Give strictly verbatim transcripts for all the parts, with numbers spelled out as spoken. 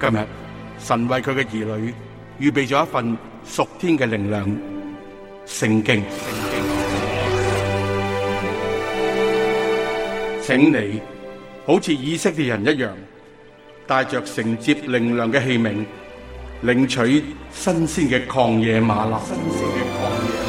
今日神為佢嘅兒女預備咗一份屬天嘅靈糧——聖經。請你好似以色列人一樣，帶着承接靈糧嘅器皿，領取新鮮嘅曠野嗎哪。新鮮嘅曠野嗎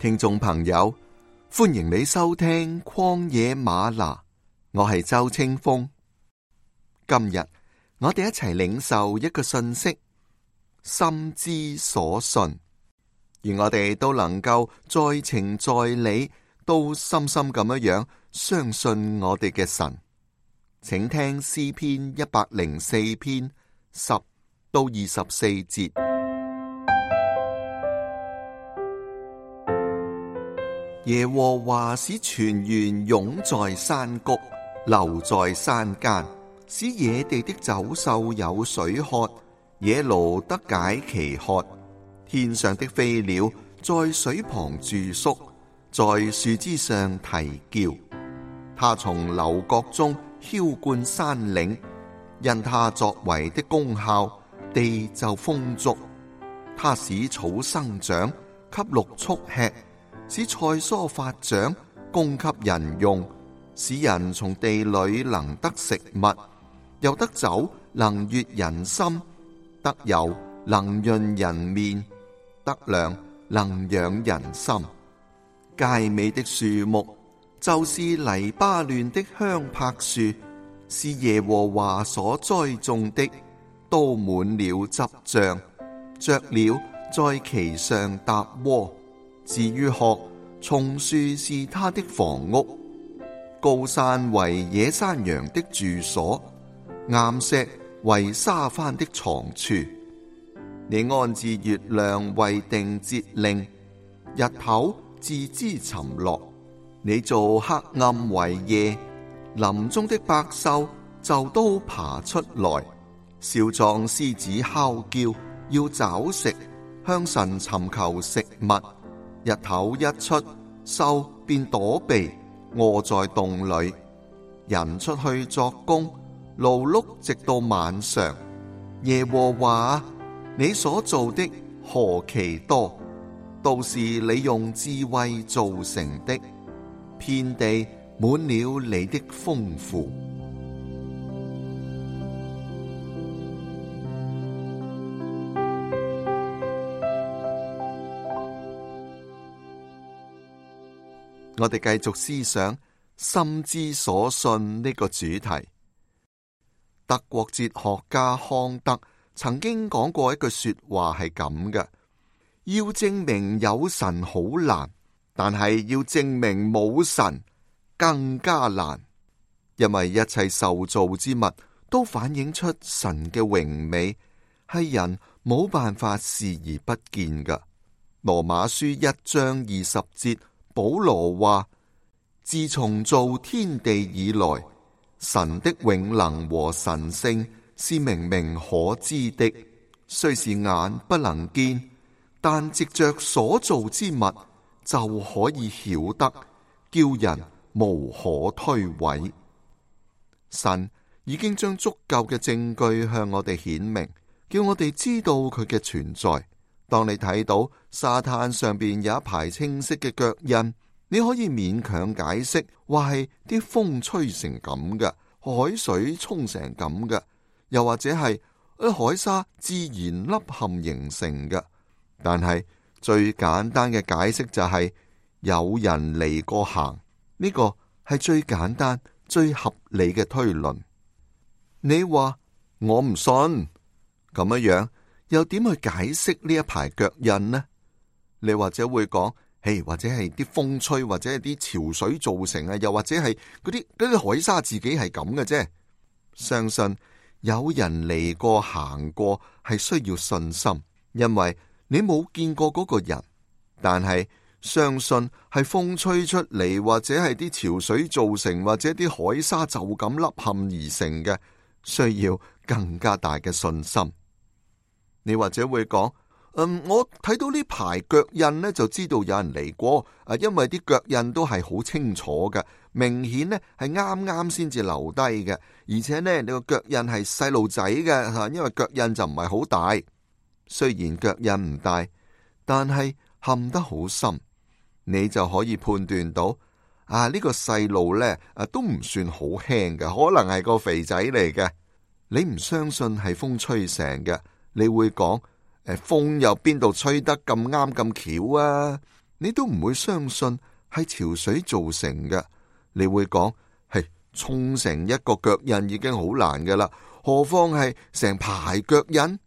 聽眾朋友，歡迎你收聽曠野嗎哪，我係周清風。今日我哋一齊領受一個信息，心之所信，而我哋都能夠在情在理，都深深咁樣樣相信我哋嘅神。請聽詩篇一百零四篇十到二十四節。耶和華使泉源湧在山谷，流在山間，使野地的走獸有水喝，野驢得解其渴。天上的飛鳥在水旁住宿，在樹枝上啼叫。他從樓閣中澆灌山嶺，因他作為的功效，地就豐足。他使草生長，給六畜吃，使菜蔬發長，供給人用，使人從地裏能得食物，又得酒能悅人心，得油能潤人面，得糧能養人心。佳美的樹木就是黎巴嫩的香柏樹，是耶和華所栽種的，都滿了汁漿，雀鳥在其上搭窩。至於鶴，松樹是他的房屋，高山為野山羊的住所，岩石為沙番的藏處。你安置月亮為定節令，日頭自知沉落。你做黑暗為夜，林中的百獸就都爬出來。少壯獅子哮叫，要找食，向神尋求食物。日頭一出，獸便躲避，臥在洞裏。人出去作工，勞碌直到晚上。耶和華，你所做的何其多，都是你用智慧造成的，遍地滿了你的豐富。我哋繼續思想心之所信呢個主題。德國哲學家康德曾經講過一句說話係咁嘅：要證明有神好難，但係要證明冇神更加難，因為一切受造之物都反映出神嘅榮美，係人冇辦法視而不見嘅。羅馬書一章二十節，保羅話：自從造天地以來，神的永能和神性是明明可知的，雖是眼不能見，但藉着所造之物就可以曉得，叫人無可推諉。神已經將足夠嘅證據向我哋顯明，叫我哋知道佢嘅存在。當你睇到沙灘上邊有一排清晰嘅腳印，你可以勉強解釋話係啲風吹成咁嘅，海水沖成咁嘅，又或者係海沙自然凹陷形成嘅。但係最簡單嘅解釋就係有人嚟過行，呢個係最簡單最合理嘅推論。你話我唔信，咁樣樣又點去解釋呢一排腳印呢？你或者會講，嘿，或者係啲風吹，或者係啲潮水造成啊，又或者係嗰啲嗰啲海沙自己係咁嘅啫。相信有人嚟過行過係需要信心，因為你冇見過嗰個人，但係相信係風吹出嚟，或者係啲潮水造成，或者啲海沙就咁凹陷而成嘅，需要更加大嘅信心。你或者會講，嗯，我睇到呢排腳印呢，就知道有人嚟過，啊，因為啲腳印都係好清楚嘅，明顯呢係啱啱先至留低嘅，而且呢，你個腳印係細路仔嘅吓，因為腳印就唔係好大。雖然腳印唔大，但係陷得好深，你就可以判斷到啊，呢個細路呢啊都唔算好輕嘅，可能係個肥仔嚟嘅。你唔相信係風吹成嘅，你會講，誒，風又邊度吹得咁啱咁巧啊？你都唔會相信係潮水造成嘅，你會講，係沖成一個腳印已經好難噶啦，何況係成排腳印？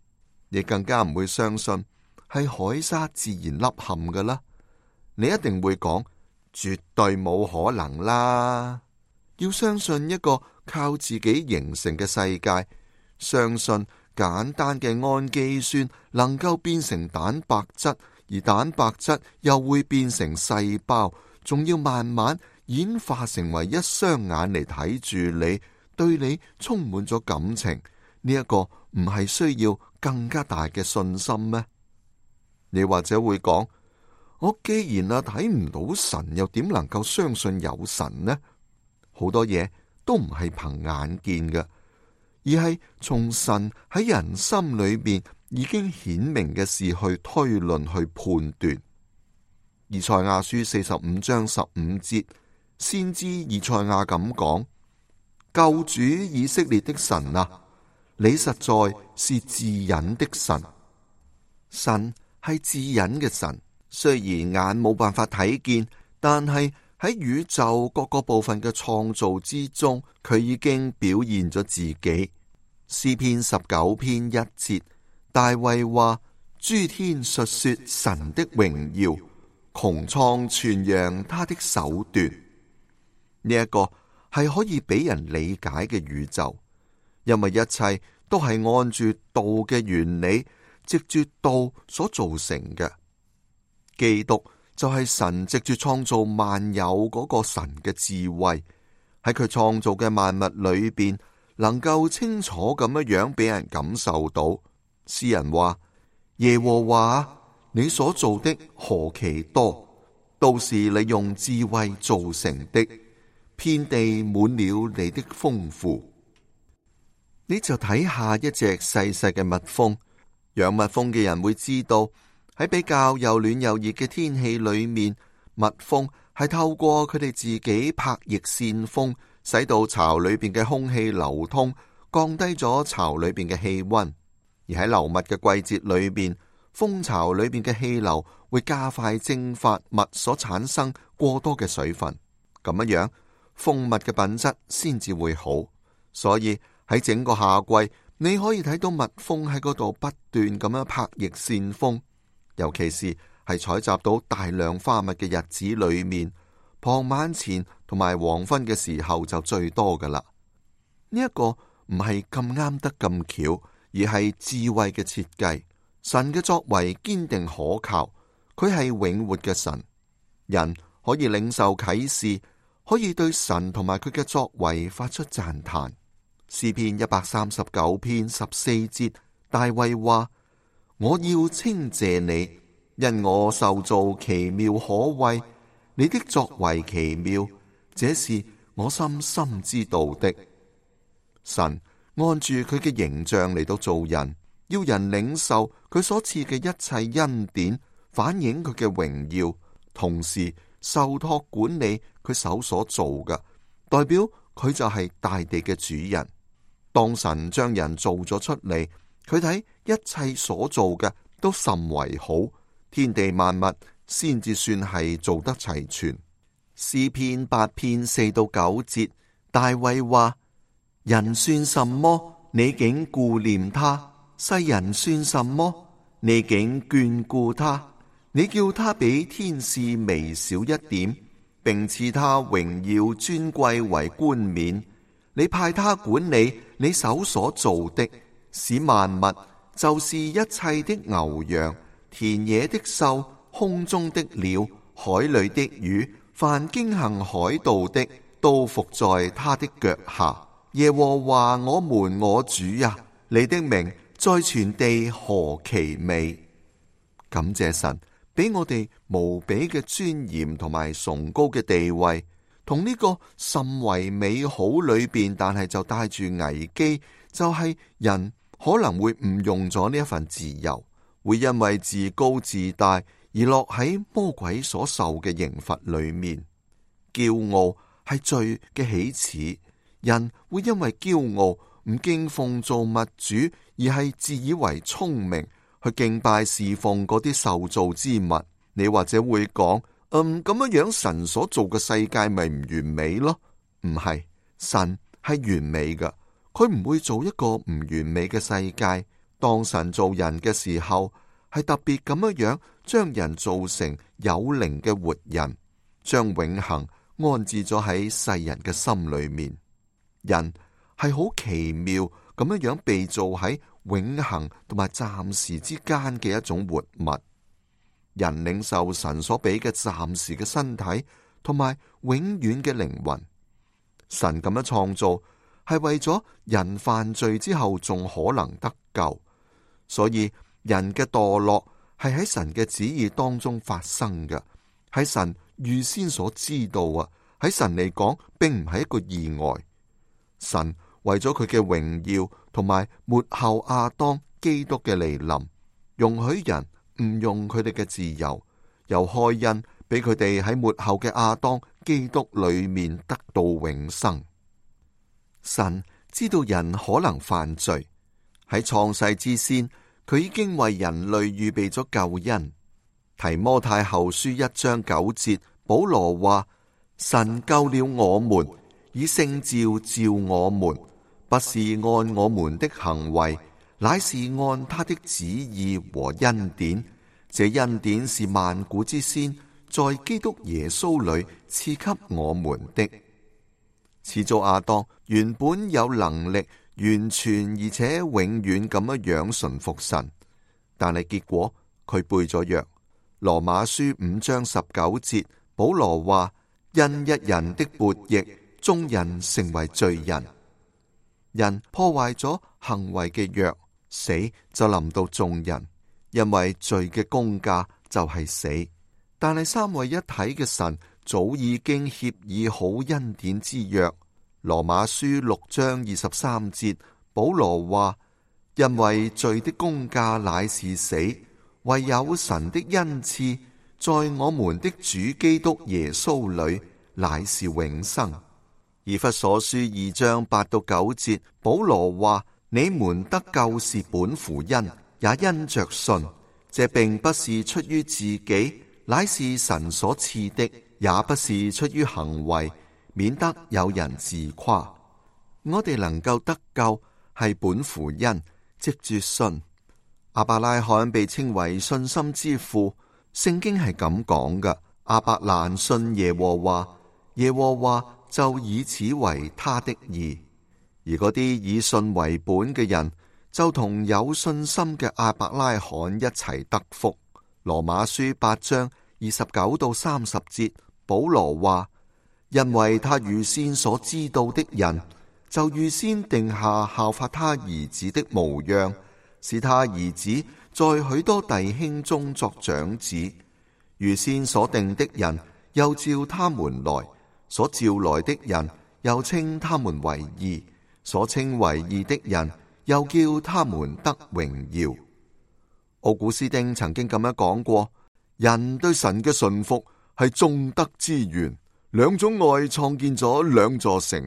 你更加唔會相信係海沙自然凹陷噶啦，你一定會講，絕對冇可能啦。要相信一個靠自己形成嘅世界，相信簡單嘅氨基酸能夠變成蛋白質，而蛋白質又會變成細胞，仲要慢慢演化成為一雙眼嚟睇住你，對你充滿咗感情。呢一個唔係需要更加大嘅信心咩？你或者會講，我既然啊睇唔到神，又點能夠相信有神呢？好多嘢都唔係憑眼見嘅，而係從神喺人心裏面已經顯明嘅事去推論去判斷。以賽亞書四十五章十五節，先知以賽亞咁講：救主以色列的神啊，你實在是自隱的神。神係自隱嘅神，雖然眼冇辦法睇見，但係喺宇宙各個部分嘅創造之中，佢已經表現咗自己。詩篇十九篇一節，大衛話：諸天述說神的榮耀，穹蒼傳揚他的手段。呢一個係可以俾人理解嘅宇宙，因為一切都係按住道嘅原理，藉住道所造成嘅。基督就係神藉住創造萬有嗰個神嘅智慧，喺佢創造嘅萬物裏邊，能夠清楚咁樣樣俾人感受到。詩人話：耶和華，你所做的何其多，都是你用智慧造成的，遍地滿了你的豐富。你就睇下一隻細細嘅蜜蜂，養蜜蜂嘅人會知道，喺比較又暖又熱嘅天氣裏面，蜜蜂係透過佢哋自己拍翼扇風，使到巢裏邊嘅空氣流通，降低咗巢裏邊嘅氣溫。而喺流蜜嘅季節裏邊，蜂巢裏邊嘅氣流會加快蒸發蜜所產生過多嘅水分，咁樣樣蜂蜜嘅品質先至會好。所以喺整個夏季，你可以睇到蜜蜂喺嗰度不斷咁樣拍翼扇風，尤其是係採集到大量花蜜嘅日子裏面，傍晚前同埋黃昏嘅時候就最多噶啦。呢一個唔係咁啱得咁巧，而係智慧嘅設計。神嘅作為堅定可靠，佢係永活嘅神。人可以領受啟示，可以對神同埋佢嘅作為發出讚嘆。詩篇一百三十九篇十四節，大衛話：我要稱謝你，因我受造奇妙可畏，你的作為奇妙，這是我深深知道的。神按住佢嘅形象嚟到做人，要人領受佢所賜嘅一切恩典，反映佢嘅榮耀，同時受託管理佢手所做嘅，代表佢就係大地嘅主人。當神將人做咗出嚟，佢睇一切所做嘅都甚為好，天地萬物先至算係做得齊全。詩篇八篇四到九節，大衛話：人算什麼？你竟顧念他；世人算什麼？你竟眷顧他。你叫他比天使微小一點，並賜他榮耀尊貴為冠冕。你派他管理你手所做的，使萬物，就是一切的牛羊、田野的獸、空中的鳥、海裏的魚，凡經行海道的，都伏在他的腳下。耶和華我們我主啊，你的名在全地何其美！感謝神俾我哋無比嘅尊嚴同埋崇高嘅地位，同呢個甚為美好裏邊，但係就帶住危機，就係、是、人可能會誤用咗呢一份自由，會因為自高自大而落喺魔鬼所受嘅刑罰裏面。驕傲係罪嘅起始，人會因為驕傲唔敬奉造物主，而係自以為聰明去敬拜侍奉嗰啲受造之物。你或者會講，嗯，咁樣樣神所做嘅世界咪唔完美咯？唔係，神係完美嘅，佢唔會做一個唔完美嘅世界。當神做人嘅時候，係特別咁樣樣將人做成有靈嘅活人，將永恆安置咗喺世人嘅心裏面。人係好奇妙咁樣樣被造喺永恆同埋暫時之間嘅一種活物。人領受神所俾嘅暫時嘅身體同埋永遠嘅靈魂。神咁樣創造係為咗人犯罪之後仲可能得救，所以人嘅墮落係喺神嘅旨意當中發生嘅，喺神預先所知道啊。喺神嚟講，並唔係一個意外。神為咗佢嘅榮耀同埋末後亞當基督嘅嚟臨，容許人誤用佢哋嘅自由，又開恩俾佢哋喺末後嘅亞當基督裏面得到永生。神知道人可能犯罪，喺創世之先，佢已經為人類預備咗救恩。提摩太後書一章九節，保羅話：神救了我們，以聖召召我們，不是按我們的行為，乃是按他的旨意和恩典。這恩典是萬古之先，在基督耶穌裏賜給我們的。始祖亞當原本有能力完全而且永遠咁樣樣順服神，但係結果佢背咗約。羅馬書五章十九節，保羅話：因一人的悖逆，眾人成為罪人。人破壞咗行為嘅約，死就臨到眾人，因為罪嘅工價就係死。但係三位一體嘅神早已經協議好恩典之約。羅馬書六章二十三節，保羅話：因為罪的工價乃是死，唯有神的恩賜在我們的主基督耶穌裏乃是永生。以弗所書二章八到九節，保羅話：你們得救是本乎恩，也因着信。這並不是出於自己，乃是神所賜的，也不是出於行為，免得有人自誇。我哋能夠得救係本乎恩，藉住信。亞伯拉罕被稱為信心之父，聖經係咁講嘅：亞伯蘭信耶和華，耶和華就以此為他的義。而嗰啲以信為本嘅人，就同有信心嘅亞伯拉罕一齊得福。羅馬書八章二十九到三十節，保羅話：因為他預先所知道的人，就預先定下效法他兒子的模樣，使他兒子在許多弟兄中作長子。預先所定的人，又召他們來；所召來的人，又稱他們為義；所稱為義的人，又叫他們得榮耀。奧古斯丁曾經咁樣講過：人對神嘅順服係眾德之源，兩種愛創建咗兩座城。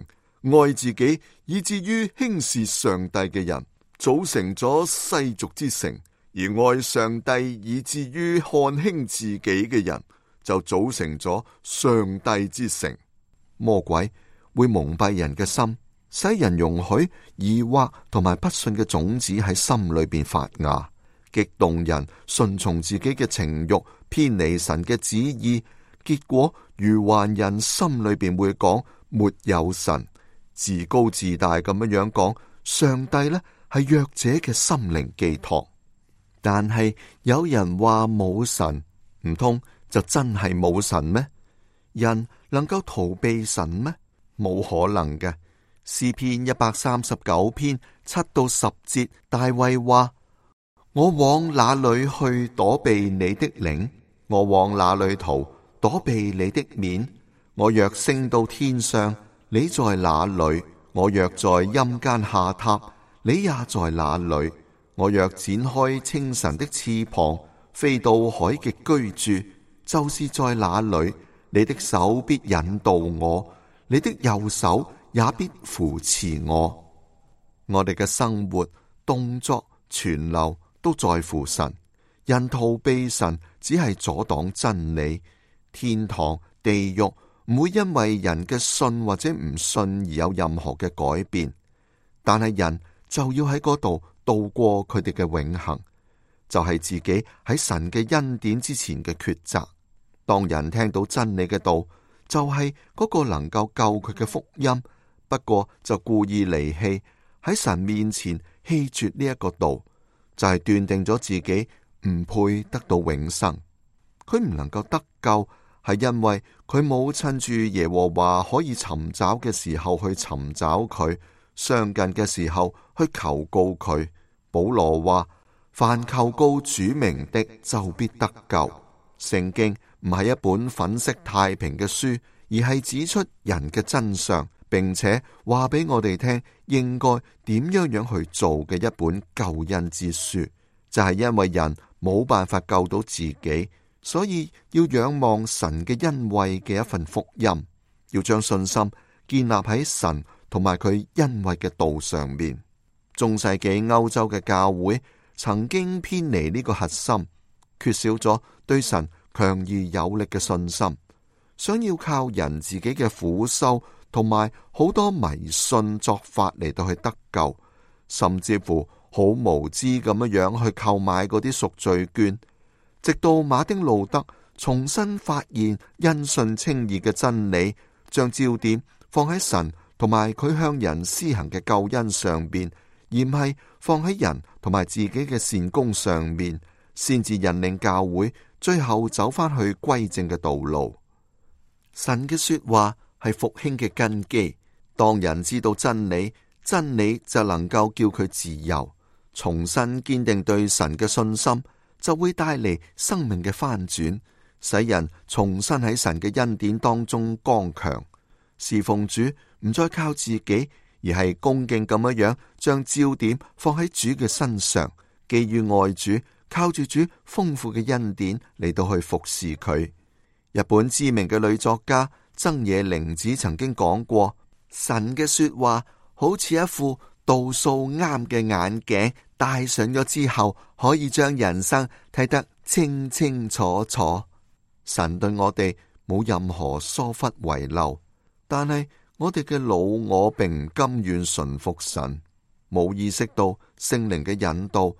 愛自己以至於輕視上帝嘅人，組成咗世俗之城；而愛上帝以至於看輕自己嘅人，就組成咗上帝之城。魔鬼會蒙蔽人嘅心，使人容許疑惑同埋不信嘅種子喺心裏邊發芽，激動人順從自己嘅情慾，偏離神嘅旨意。結果愚頑人心裏邊會講沒有神，自高自大咁樣樣講上帝呢係弱者嘅心靈寄託。但係有人話冇神，唔通就真係冇神咩？人能夠逃避神咩？冇可能嘅。詩篇一百三十九篇七到十節，大衛話：我往哪裏去躲避你的靈？我往哪裏逃躲避你的面？我若升到天上，你在哪裏？我若在陰間下榻，你也在哪裏？我若展開清晨的翅膀，飛到海極居住，就是在哪裏？你的手必引導我，你的右手也必扶持我。我哋嘅生活、動作、存留都在乎神。人逃避神，只係阻擋真理。天堂、地獄唔會因為人嘅信或者唔信而有任何嘅改變，但係人就要喺嗰度度過佢哋嘅永恆，就係自己喺神嘅恩典之前嘅抉擇。當人聽到真理嘅道，就係嗰個能夠救佢嘅福音，不過就故意離棄，喺神面前棄絕呢一個道，就係斷定咗自己唔配得到永生。佢唔能夠得救，係因為佢冇趁住耶和華可以尋找嘅時候去尋找佢，相近嘅時候去求告佢。保羅話：凡求告主名的，就必得救。聖經唔係一本粉飾太平嘅書，而係指出人嘅真相，並且話俾我哋聽應該點樣樣去做嘅一本救恩之書。就係因為人冇辦法救到自己，所以要仰望神嘅恩惠嘅一份福音，要將信心建立喺神同埋佢恩惠嘅道上面。中世紀歐洲嘅教會曾經偏離呢個核心，缺少咗對神強而有力嘅信心，想要靠人自己嘅苦修同埋好多迷信作法嚟到去得救，甚至乎好無知咁樣樣去購買嗰啲贖罪券，直到馬丁路德重新發現因信稱義嘅真理，將焦點放喺神同埋佢向人施行嘅救恩上邊，而唔係放喺人同埋自己嘅善功上面，先至引領教會最後走翻去歸正嘅道路。神嘅說話係復興嘅根基，當人知道真理，真理就能夠叫佢自由，重新堅定對神嘅信心，就會帶嚟生命嘅翻轉，使人重新喺神嘅恩典當中剛強，侍奉主唔再靠自己，而係恭敬咁樣樣將焦點放喺主嘅身上，基於愛主，靠住主豐富嘅恩典嚟到去服侍佢。日本知名嘅女作家曾野玲子曾經講過，神嘅說話好似一副度數啱嘅眼鏡，戴上咗之後，可以將人生睇得清清楚楚。神對我哋冇任何疏忽遺漏，但係我哋嘅老我並唔甘願順服神，冇意識到聖靈嘅引導，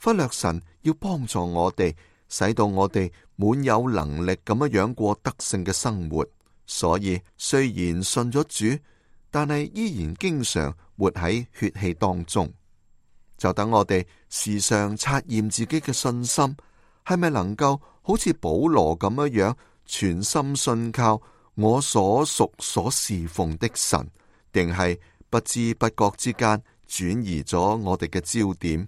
忽略神要幫助我哋，使到我哋滿有能力咁樣樣過得勝嘅生活。所以雖然信咗主，但係依然經常活喺血氣當中。就等我哋時常察驗自己嘅信心，係咪能夠好似保羅咁樣樣全心信靠我所屬所侍奉的神，定係不知不覺之間轉移咗我哋嘅焦點？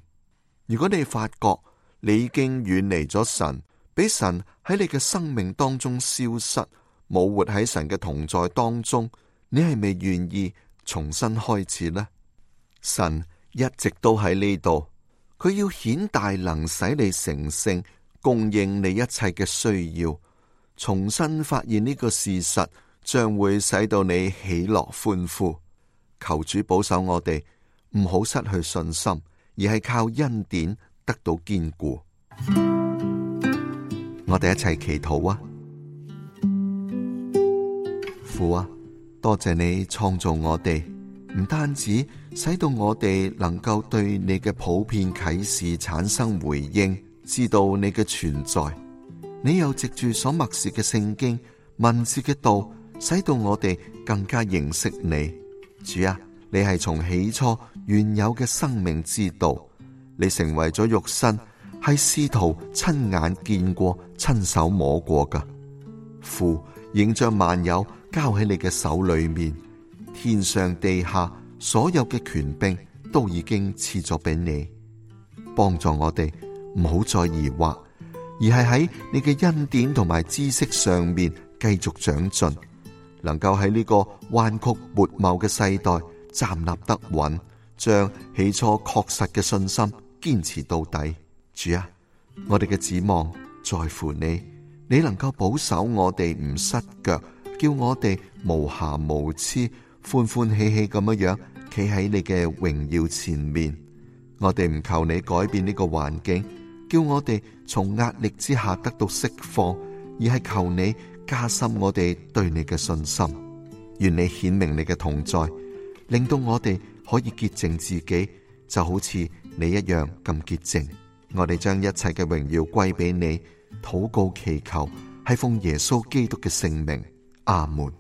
如果你發覺你已經遠離咗神，俾神喺你嘅生命當中消失，冇活喺神嘅同在當中，你係咪願意重新開始呢？神一直都喺呢度，佢要顯大能，使你成聖，供應你一切嘅需要。重新發現呢個事實，將會使到你喜樂歡呼。求主保守我哋，唔好失去信心，而係靠恩典得到堅固。我哋一齊祈禱啊！父啊，多謝你創造我哋，唔單止使到我哋能夠對你嘅普遍啟示產生回應，知道你嘅存在，你又藉住所默示嘅聖經文字嘅道，使到我哋更加認識你。主啊，你係從起初原有嘅生命之道，你成為咗肉身，係試圖親眼見過、親手摸過噶。父已經將萬有交喺你嘅手裏面，天上地下所有嘅權柄都已經賜咗俾你，幫助我哋唔好再疑惑，而係喺你嘅恩典同埋知識上面繼續長進，能夠喺呢個彎曲悖謬嘅世代站立得穩，將起初確實嘅信心堅持到底。主啊，我哋嘅指望在乎你，你能夠保守我哋唔失腳，叫我哋無瑕無疵，歡歡喜喜咁樣樣企喺你嘅榮耀前面。我哋唔求你改變呢個環境，叫我哋從壓力之下得到釋放，而係求你加深我哋對你嘅信心。願你顯明你嘅同在，令到我哋可以潔淨自己，就好似你一樣咁潔淨。我哋將一切嘅榮耀歸俾你，禱告祈求係奉耶穌基督嘅聖名，阿門。